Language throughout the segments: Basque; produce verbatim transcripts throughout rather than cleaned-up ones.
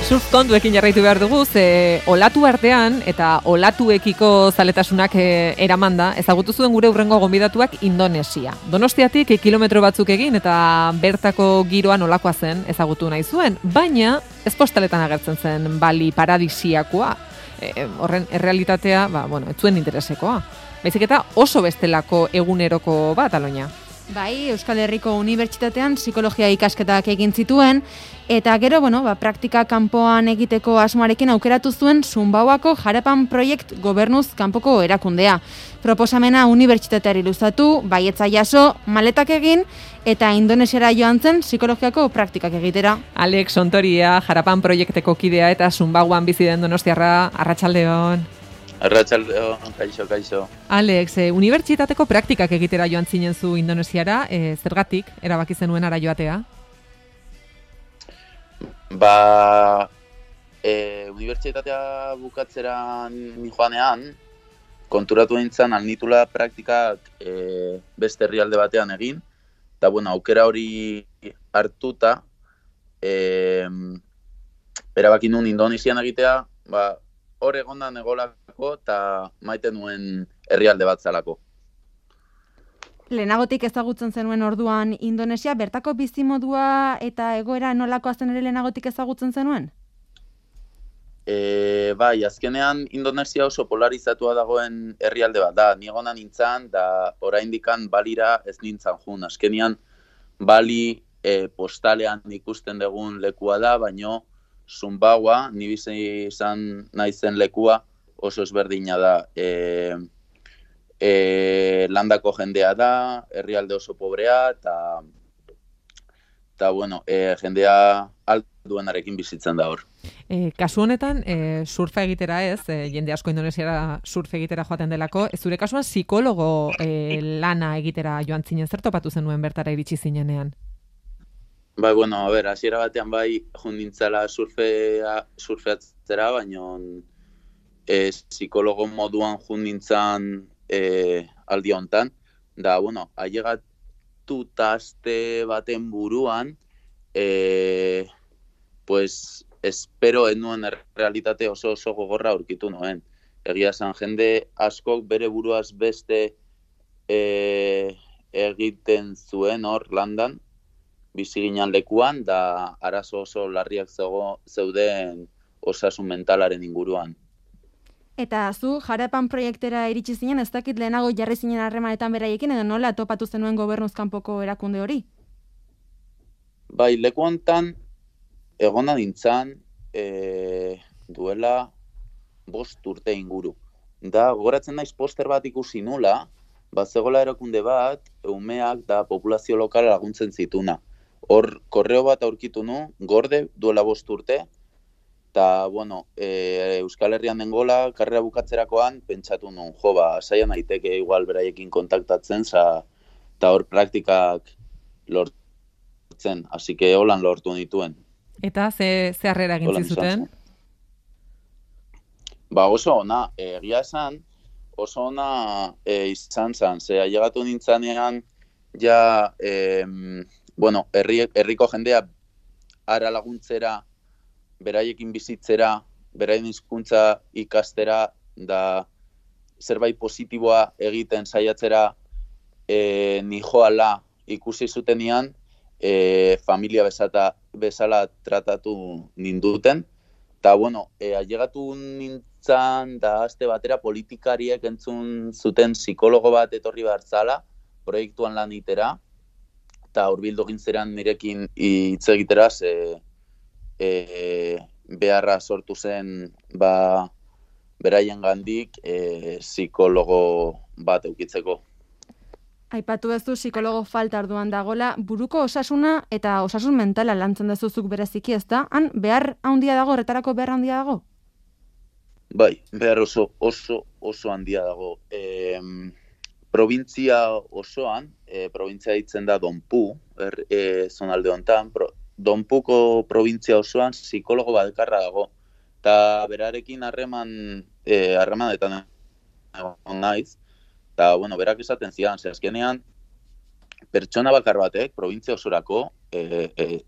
surf kontuekin jarraitu behar dugu, ze olatu artean eta olatuekiko zaletasunak e, eramanda, ezagutu zuen gure hurrengo gonbidatuak Indonesia. Donostiatik e, kilometro batzuk egin eta bertako giroan olakoa zen ezagutu nahi zuen, baina ez postaletan agertzen zen Bali paradisiakoa. E, horren errealitatea, ba, bueno, ez zuen interesekoa. Baizik eta oso bestelako eguneroko bat, Aloña. Bai, Euskal Herriko Unibertsitatean psikologia ikasketak egin zituen, eta gero, bueno, ba, praktika kanpoan egiteko asmoarekin aukeratu zuen Zumbauako Harapan Project gobernuz kanpoko erakundea. Proposamena unibertsitateari luzatu, baietza jaso, maletak egin, eta Indonesiara joan zen psikologiako praktikak egitera. Alex Ontoria, Harapan Proiekteko kidea eta Zumbauan bizi den donostiarra, arratsaldeon. Arratsaldeon, kaixo, kaixo. Alex, e, unibertsitateko praktikak egitera joan zinen zu Indonesiara, e, zergatik erabaki zenuen ara joatea? Ba, e, unibertsitatea bukatzera ni joanean, konturatu nintzen alnitula praktikak e, beste herrialde batean egin, eta bueno, aukera hori hartuta, e, erabaki nuen Indonesian egitea, ba, hor egondan egolako eta maite nuen herrialde bat zalako. Lehenagotik ezagutzen zenuen orduan Indonesia, bertako bizimodua eta egoera nolakoa zen ere lehenagotik ezagutzen zenuen? E, bai, azkenean Indonesia oso polarizatua dagoen herrialde bat da. Ni egona nintzen, da oraindikan Balira ez nintzen jun. Azkenean Bali e, postalean ikusten dugun lekua da, baino Zumbaua, ni bizi izan naizen lekua oso ezberdina da. E, e, landako jendea da, herrialde oso pobrea, eta eta bueno, e, jendea alduenarekin bizitzen da hor. E, kasu honetan, e, surfa egitera ez, e, jende asko Indonesiara surf egitera joaten delako, zure kasuan psikologo e, lana egitera joan zinen, zer topatu zenuen bertara iritsi zinenean? Bai, bueno, a ber, hasiera batean bai jun nintzela surfea, surfeatzera, baina e, psikologo moduan jun nintzen e, aldi hontan. Da, bueno, ailegatu aste baten buruan, e, pues, espero enuen realitate oso oso gogorra aurkitu nuen. Egia esan, jende askok bere buruaz beste e, egiten zuen hor landan, bizi ginen lekuan, da arazo oso larriak zego, zeuden osasun mentalaren inguruan. Eta zu, Harapan proiektera iritsi zinen, ez dakit lehenago jarri zinen harremanetan beraiekin, edo nola topatu zenuen gobernuz kanpoko erakunde hori? Bai, leku hontan egona nintzen e, duela bost urte inguru. Da, gogoratzen naiz poster bat ikusi nula, bazegola erakunde bat, umeak da populazio lokala laguntzen zituna. Hor, korreo bat aurkitu nu, gorde duela bost urte, eta, bueno, e, Euskal Herrian dengola, karrera bukatzerakoan, pentsatu nun, jo, ba, saia naiteke igual beraiekin kontaktatzen, eta hor praktikak lortzen, hasi que holan lortu nituen. Eta ze, ze harrera egin zuten? Ba, oso ona, egia esan, oso ona e, izan zen, ze ailegatu nintzanean, ja, e, bueno, herri, herriko jendea ara laguntzera, beraiekin bizitzera, beraien hizkuntza ikastera, da zerbait positiboa egiten saiatzera e, nijoala ikusi zutenean, e, familia bezata, bezala tratatu ninduten. Eta, bueno, e, ailegatu nintzen, da azte batera politikariek entzun zuten psikologo bat etorri behar zala, proiektuan lan itera, eta hurbildu gintzeran nirekin hitz egitera, ze e, beharra sortu zen ba, beraien gandik e, psikologo bat eukitzeko. Aipatu duzu psikologo falta orduan dagola, buruko osasuna eta osasun mentala lantzen dezuzuk bereziki, ez da? Han behar handia dago, horretarako behar handia dago? Bai, behar oso, oso, oso handia dago. E, Provintzia osoan, e, provintzia ditzen da Donpu, er, e, zonalde honetan, pro, Donpuko provintzia osoan psikologo bakarra dago. Eta berarekin harreman, e, harremanetan egon naiz, eta, bueno, berak esaten zidan, ze azkenean, pertsona bakar batek, provintzia osorako, e, e,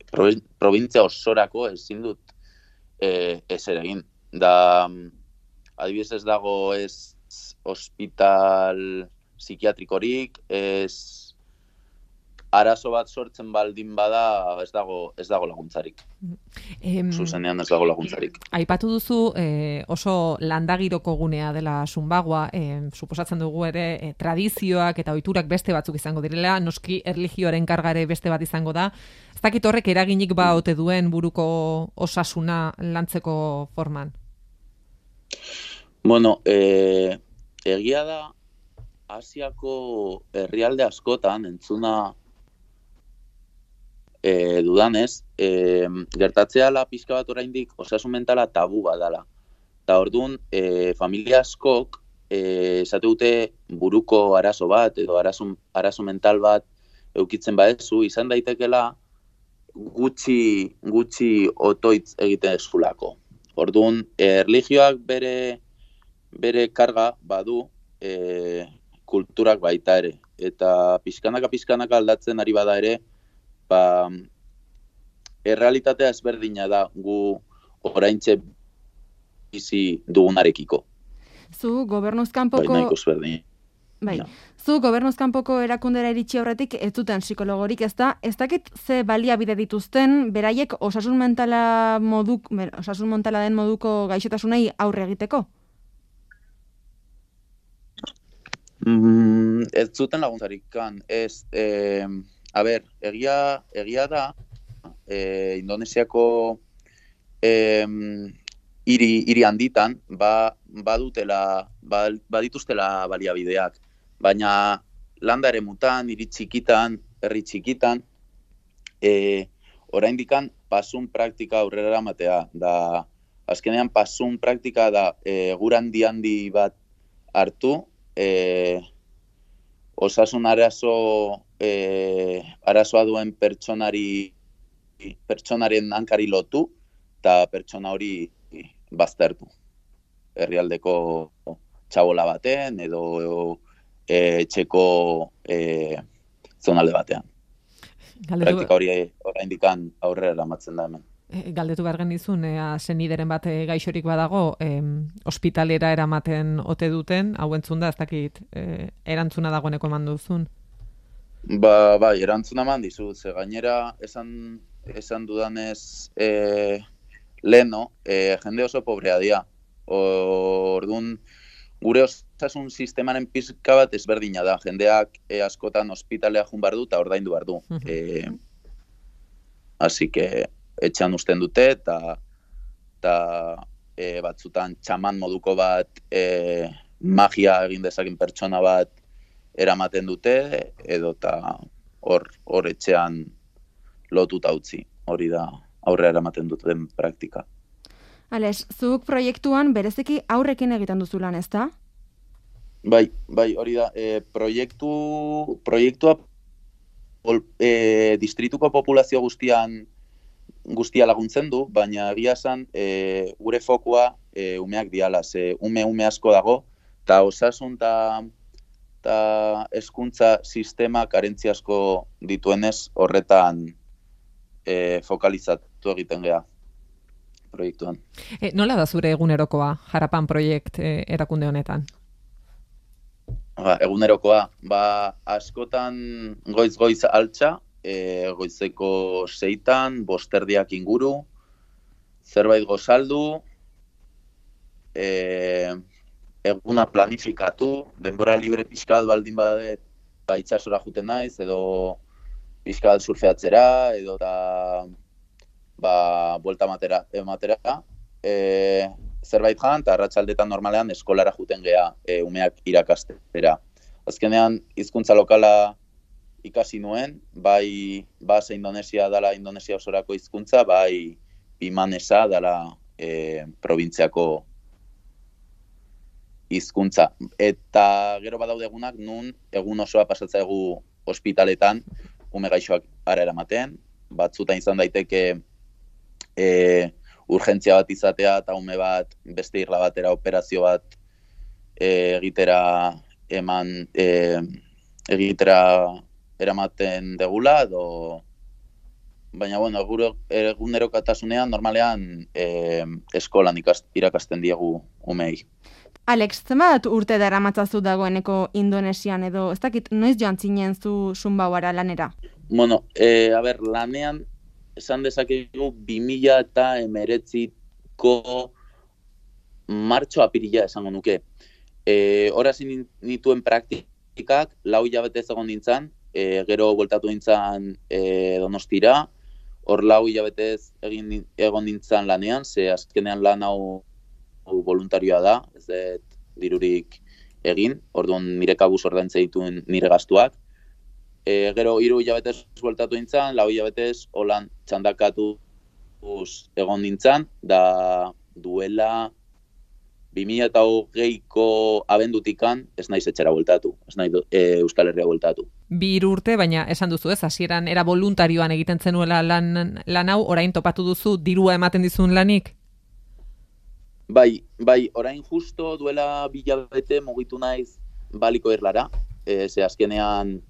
provintzia osorako ezin dut e, ez ere egin. Da, adibidez ez dago ez hospital psikiatrikorik, ez arazo bat sortzen baldin bada ez dago ez dago laguntzarik. Em, Zuzenean ez dago laguntzarik. Aipatu duzu eh, oso landagiroko gunea dela Zumbagoa, eh, suposatzen dugu ere eh, tradizioak eta ohiturak beste batzuk izango direla, noski erlijioaren kargare beste bat izango da. Ez dakit horrek eraginik ba ote duen buruko osasuna lantzeko forman. Bueno, eh, egia da Asiako herrialde askotan entzuna E, dudanez, e, gertatzea la pizka bat oraindik osasun mentala tabu badala. Eta orduan, e, familia askok e, esate dute buruko arazo bat edo arazo, arazo mental bat eukitzen badezu, izan daitekela gutxi, gutxi otoitz egiten ezulako. Orduan, erlijioak bere, bere karga badu e, kulturak baita ere. Eta pizkanaka pizkanaka aldatzen ari bada ere, ba, errealitatea ezberdina da gu oraintxe bizi dugunarekiko. Zu gobernuzkanpoko... Bai, nahiko ezberdin. Bai. Ja. Zu gobernuzkanpoko erakundera iritsi aurretik ez duten psikologorik, ez da? Ez dakit ze baliabide dituzten beraiek osasun mentala moduk, osasun mentala den moduko gaixotasunei aurre egiteko? Mm, ez zuten laguntzarik kan. Ez... Eh, A ber, egia, egia da, e, Indonesiako e, hiri, hiri handitan, ba, badutela, ba, badituztela baliabideak. Baina landa eremutan, hiri txikitan, herri txikitan, e, oraindikan pasun praktika aurrera eramatea. Da, azkenean pasun praktika da e, gura handi handi bat hartu, e, osasun arazo E, arazoa duen pertsonari pertsonaren hankari lotu eta pertsona hori baztertu. Herrialdeko txabola baten edo e, etxeko e, zonalde batean. Galdetu... Praktika hori oraindikan aurrera eramatzen da hemen. Galdetu behar genizun, ea senideren bat gaixorik badago, eh, ospitalera eramaten ote duten, hau entzunda, ez dakit, eh, erantzuna dagoeneko eman duzun. Ba, bai, erantzuna eman dizut, ze gainera esan, esan dudanez e, leheno, e, jende oso pobrea dira. Orduan, gure osasun sistemaren pizka bat ezberdina da. Jendeak e, askotan ospitalea jun behar du eta ordaindu behar du. E, Así que etxean usten dute eta eta e, batzutan txaman moduko bat e, magia egin dezakin pertsona bat eramaten dute, edo eta hor, hor etxean lotuta utzi. Hori da aurrera eramaten duten praktika. Ales, zuk proiektuan bereziki aurrekin egiten duzu lan, ezta? Bai, bai, hori da. E, proiektu, proiektua e, distrituko populazio guztian guztia laguntzen du, baina egia esan e, gure fokua e, umeak diala, ze ume ume asko dago, eta osasun eta eta hezkuntza sistema karentzia asko dituenez horretan e, fokalizatu egiten gea proiektuan. E, nola da zure egunerokoa Jarapan proiekt e, erakunde honetan? Ba, egunerokoa, ba, askotan goiz-goiz altxa, e, goizeko seitan, bosterdiak inguru, zerbait gozaldu, e, eguna planifikatu, denbora libre pixkat baldin badet, ba, itxasora juten naiz, edo pixkat surfeatzera, edo da, ba, buelta matera, ematera, e, zerbait jan, eta arratsaldetan normalean eskolara juten gea e, umeak irakastera. Azkenean, hizkuntza lokala ikasi nuen, bai base Indonesia dala Indonesia osorako hizkuntza, bai bimanesa dala e, probintziako hizkuntza. Eta gero badaude egunak nun egun osoa pasatzaigu ospitaletan ume gaixoak ara eramaten, batzutan izan daiteke e, urgentzia bat izatea eta ume bat beste irla batera operazio bat e, egitera eman e, egitera eramaten degula edo baina, bueno, gure egunerokatasunean normalean e, eskolan ikast, irakasten diegu umei. Alex, zenbat urte dara matzazu dagoeneko Indonesian edo, ez dakit, noiz joan zinen zu Sumbauara lanera? Bueno, e, a ber, lanean, esan dezakegu bi mila eta emeretziko martxo apirila esango nuke. E, Horaz nituen praktikak, lau hilabetez egon nintzen, e, gero bueltatu nintzen e, Donostira, hor lau hilabetez egin egon nintzen lanean, ze azkenean lan hau voluntarioa da, ez dut dirurik egin, orduan nire kabuz ordaintze dituen nire gastuak. E, gero hiru hilabetez bueltatu nintzen, lau hilabetez holan txandakatu egon nintzen, da duela bi mila eta hogeiko abendutikan ez naiz etxera bueltatu, ez naiz e, Euskal Herria bueltatu. Bi hiru urte, baina esan duzu ez, hasieran era voluntarioan egiten zenuela lan, lan hau, orain topatu duzu dirua ematen dizun lanik? Bai, bai, orain justo duela bilabete mugitu naiz baliko erlara, e, ze azkenean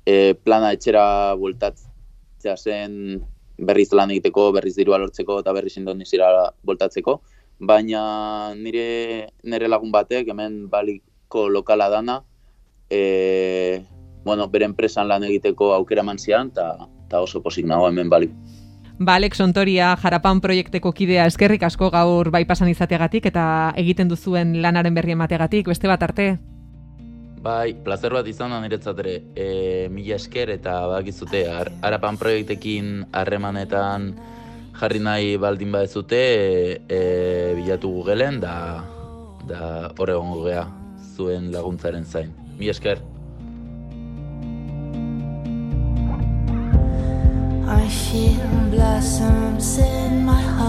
e, plana etxera bueltatzea zen berriz lan egiteko, berriz dirua lortzeko eta berriz Indonesiara bueltatzeko, baina nire nire lagun batek hemen baliko lokala dana, e, bueno, bere enpresan lan egiteko aukera eman zian, eta oso pozik nago hemen baliko. Ba, Alex Ontoria, Jarapan proiekteko kidea, eskerrik asko gaur bai pasan izateagatik eta egiten duzuen lanaren berri emateagatik, beste bat arte. Bai, plazer bat izan da niretzat ere, e, mila esker eta badakizute, Jarapan proiektekin harremanetan jarri nahi baldin badezute, e, e, bilatu Googleen da, da hor egongo gea zuen laguntzaren zain. Mila esker. I feel blossoms in my heart.